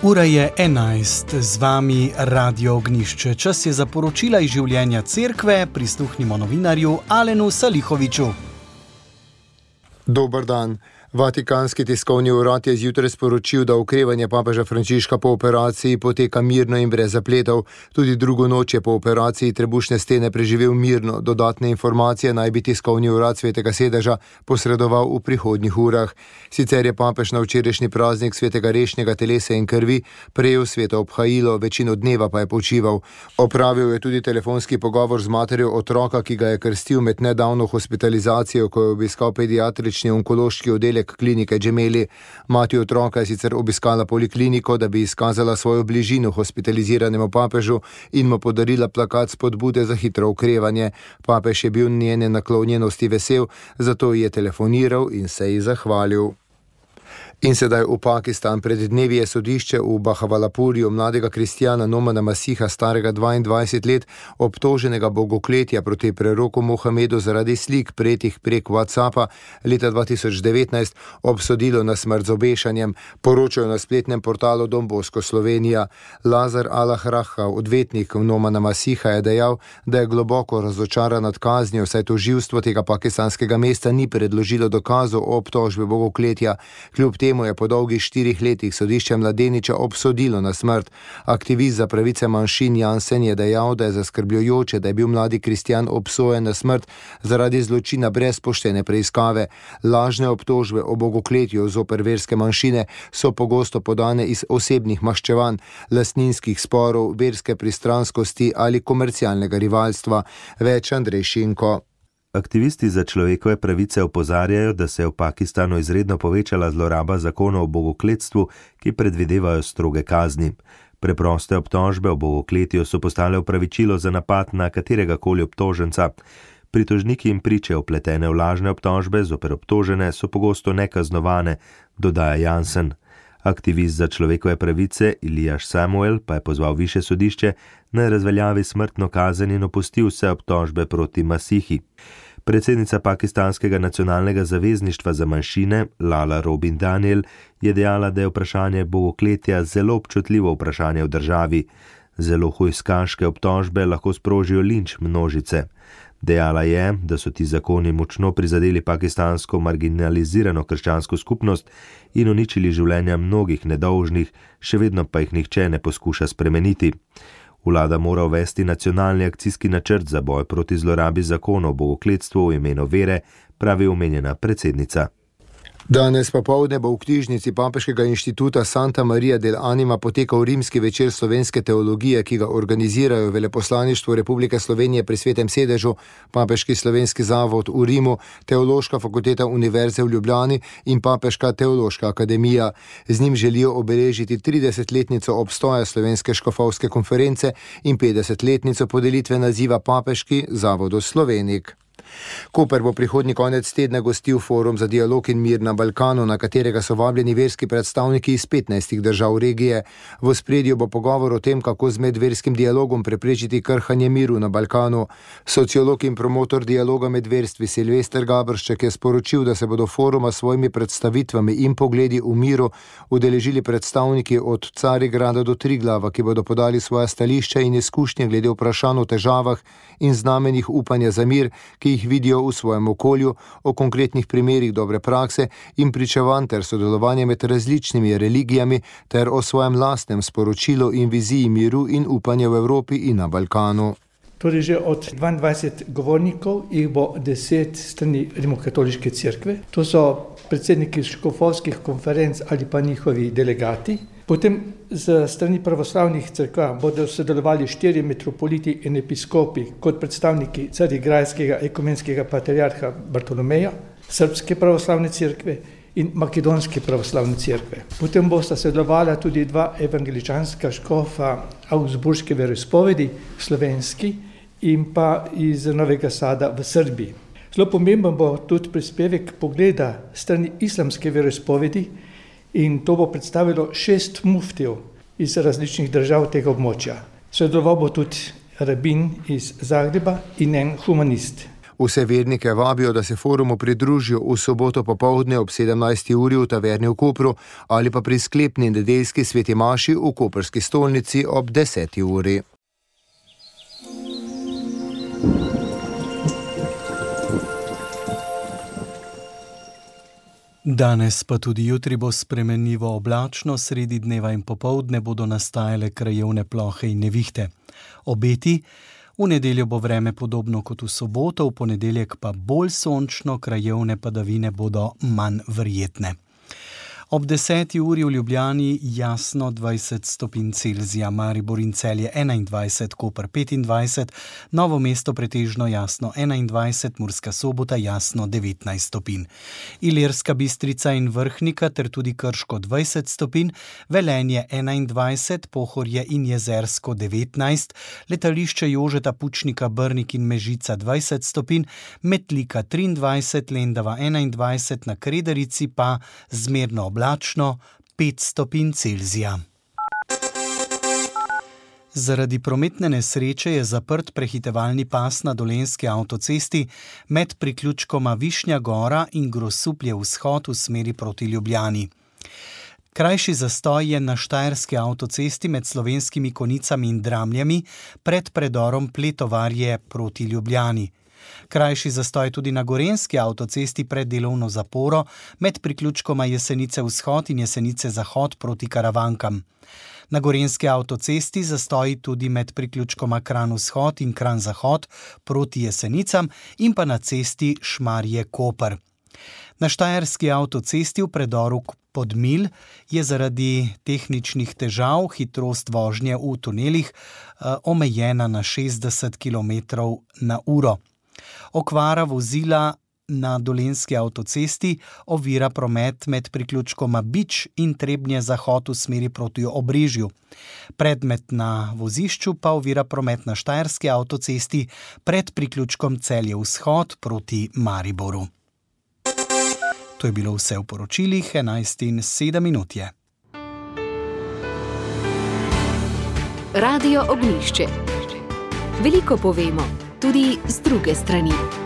Ura je 11, z vami Radio Ognišče. Čas je za poročila iz življenja cerkve, prisluhnimo novinarju Alenu Salihoviču. Dober dan. Vatikanski tiskovni urad je zjutraj sporočil, da okrevanje papeža Frančiška po operaciji poteka mirno in brez zapletov. Tudi drugo noč je po operaciji trebušne stene preživel mirno. Dodatne informacije naj bi tiskovni urad Svetega sedeža posredoval v prihodnjih urah. Sicer je papež na včerajšnji praznik svetega rešnjega telesa in krvi prejel sveto obhajilo, večino dneva pa je počival. Opravil je tudi telefonski pogovor z materjo otroka, ki ga je krstil med nedavno hospitalizacijo, ko je obiskal pediatrični onkološki oddelek klinike Gemelli. Mati otroka je sicer obiskala polikliniko, da bi izkazala svojo bližino hospitaliziranemu papežu in mu podarila plakat spodbude za hitro okrevanje. Papež je bil njene naklonjenosti vesel, zato ji je telefoniral in se ji zahvalil. In sedaj v Pakistan. Pred dnevi je sodišče v Bahawalpurju mladega kristjana Nomana Masiha, starega 22 let, obtoženega bogokletja proti preroku Mohamedu zaradi slik prejetih prek WhatsAppa leta 2019, obsodilo na smrt z obešanjem, poročajo na spletnem portalu Don Bosco Slovenija. Lazar Al-Ahraha, odvetnik Nomana Masiha, je dejal, da je globoko razočaran nad kaznijo, saj tožilstvo tega pakistanskega mesta ni predložilo dokazov o obtožbi bogokletja. Kljub temu je po dolgih 4 letih sodišče mladeniča obsodilo na smrt. Aktivist za pravice manjšin Jansen je dejal, da je zaskrbljujoče, da je bil mladi kristjan obsojen na smrt zaradi zločina brez poštene preiskave. Lažne obtožbe o bogokletju zoper verske manjšine so pogosto podane iz osebnih maščevanj, lastninskih sporov, verske pristranskosti ali komercialnega rivalstva. Več Andrej Šinko. Aktivisti za človekove pravice opozarjajo, da se je v Pakistanu izredno povečala zloraba zakonov o bogokletstvu, ki predvidevajo stroge kazni. Preproste obtožbe o bogokletju so postale opravičilo za napad na kateregakoli obtoženca. Pritožniki in priče vpletene v lažne obtožbe zoper obtožene so pogosto nekaznovane, dodaja Jansen. Aktivist za človekove pravice Ilijaš Samuel pa je pozval višje sodišče, naj razveljavi smrtno kazen in opusti vse obtožbe proti Masihi. Predsednica pakistanskega nacionalnega zavezništva za manjšine, Lala Robin Daniel, je dejala, da je vprašanje bogokletja zelo občutljivo vprašanje v državi. Zelo hujskaške obtožbe lahko sprožijo linč množice. Dejala je, da so ti zakoni močno prizadeli pakistansko marginalizirano krščansko skupnost in uničili življenja mnogih nedolžnih, še vedno pa jih nihče ne poskuša spremeniti. Vlada mora uvesti nacionalni akcijski načrt za boj proti zlorabi zakonov o bogokletstvu v imenu vere, pravi omenjena predsednica. Danes popoldne bo v knjižnici Papeškega inštituta Santa Maria del Anima potekal rimski večer slovenske teologije, ki ga organizirajo Veleposlaništvo Republike Slovenije pri Svetem sedežu, Papeški slovenski zavod v Rimu, Teološka fakulteta Univerze v Ljubljani in Papeška teološka akademija. Z njim želijo obeležiti 30-letnico obstoja Slovenske škofovske konference in 50-letnico podelitve naziva Papeški zavod Slovenik. Koper bo prihodnji konec tedna gostil forum za dialog in mir na Balkanu, na katerega so vabljeni verski predstavniki iz 15 držav regije. V ospredju bo pogovor o tem, kako z medverskim dialogom preprečiti krhanje miru na Balkanu. Sociolog in promotor dialoga med verstvi Silvester Gabršček je sporočil, da se bodo foruma s svojimi predstavitvami in pogledi v miru udeležili predstavniki od Carigrada do Triglava, ki bodo podali svoja stališča in izkušnje glede vprašanj o težavah in znamenjih upanja za mir, ki jih vidijo v svojem okolju, o konkretnih primerih dobre prakse in pričevanj ter sodelovanje med različnimi religijami ter o svojem lastnem sporočilu in viziji miru in upanja v Evropi in na Balkanu. Torej že od 22 govornikov jih bo 10 strani Rimokatoliške cerkve. To so predsedniki škofovskih konferenc ali pa njihovi delegati. Potem z strani pravoslavnih cerkva bodo sodelovali 4 metropoliti in episkopi kot predstavniki Carigrajskega ekumenskega patriarha Bartolomeja, Srbske pravoslavne cerkve in Makedonske pravoslavne cerkve. Potem bosta sodelovala tudi 2 evangeličanska škofa Augsburške veroizpovedi, slovenski in pa iz Novega Sada v Srbiji. Zelo pomemben bo tudi prispevek pogleda strani islamske veroizpovedi, in to bo predstavilo 6 muftijev iz različnih držav tega območja. Sodeloval bo tudi rabin iz Zagreba in en humanist. Vse vernike vabijo, da se forumu pridružijo v soboto popoldne ob 17. uri v taverni v Kopru ali pa pri sklepni nedeljski sveti maši v koprski stolnici ob 10. uri. Danes pa tudi jutri bo spremenljivo oblačno, sredi dneva in popoldne bodo nastajale krajevne plohe in nevihte. Obeti: v nedeljo bo vreme podobno kot v soboto, v ponedeljek pa bolj sončno, krajevne padavine bodo manj verjetne. Ob 10. uri v Ljubljani jasno 20 stopinj Celzija, Maribor in Celje 21, Koper 25, Novo mesto pretežno jasno 21, Murska Sobota jasno 19 stopinj. Ilirska Bistrica in Vrhnika ter tudi Krško 20 stopinj, Velenje 21, Pohorje in Jezersko 19, letališče Jožeta Pučnika Brnik in Mežica 20 stopinj, Metlika 23, Lendava 21, na Krederici pa zmerno oblačno 5 stopinj Celzija. Zaradi prometne nesreče je zaprt prehitevalni pas na Dolenjski avtocesti med priključkoma Višnja Gora in Grosuplje vzhod v smeri proti Ljubljani. Krajši zastoj je na Štajerski avtocesti med Slovenskimi Konicami in Dramljami pred predorom Pletovarje proti Ljubljani. Krajši zastoj tudi na Gorenjski avtocesti pred delovno zaporo med priključkoma Jesenice vzhod in Jesenice zahod proti Karavankam. Na Gorenjski avtocesti zastoji tudi med priključkoma Kranj vzhod in Kranj zahod proti Jesenicam in pa na cesti Šmarje-Koper. Na Štajerski avtocesti v predoru Podmilj je zaradi tehničnih težav hitrost vožnje v tunelih omejena na 60 km/h. Okvara vozila na Dolenjski avtocesti ovira promet med priključkoma Bič in Trebnje zahod v smeri proti Obrežju. Predmet na vozišču pa ovira promet na Štajerski avtocesti pred priključkom Celje vzhod proti Mariboru. To je bilo vse v poročilih, 11:07 je. Radio Ognjišče. Veliko povemo, tudi z druge strani.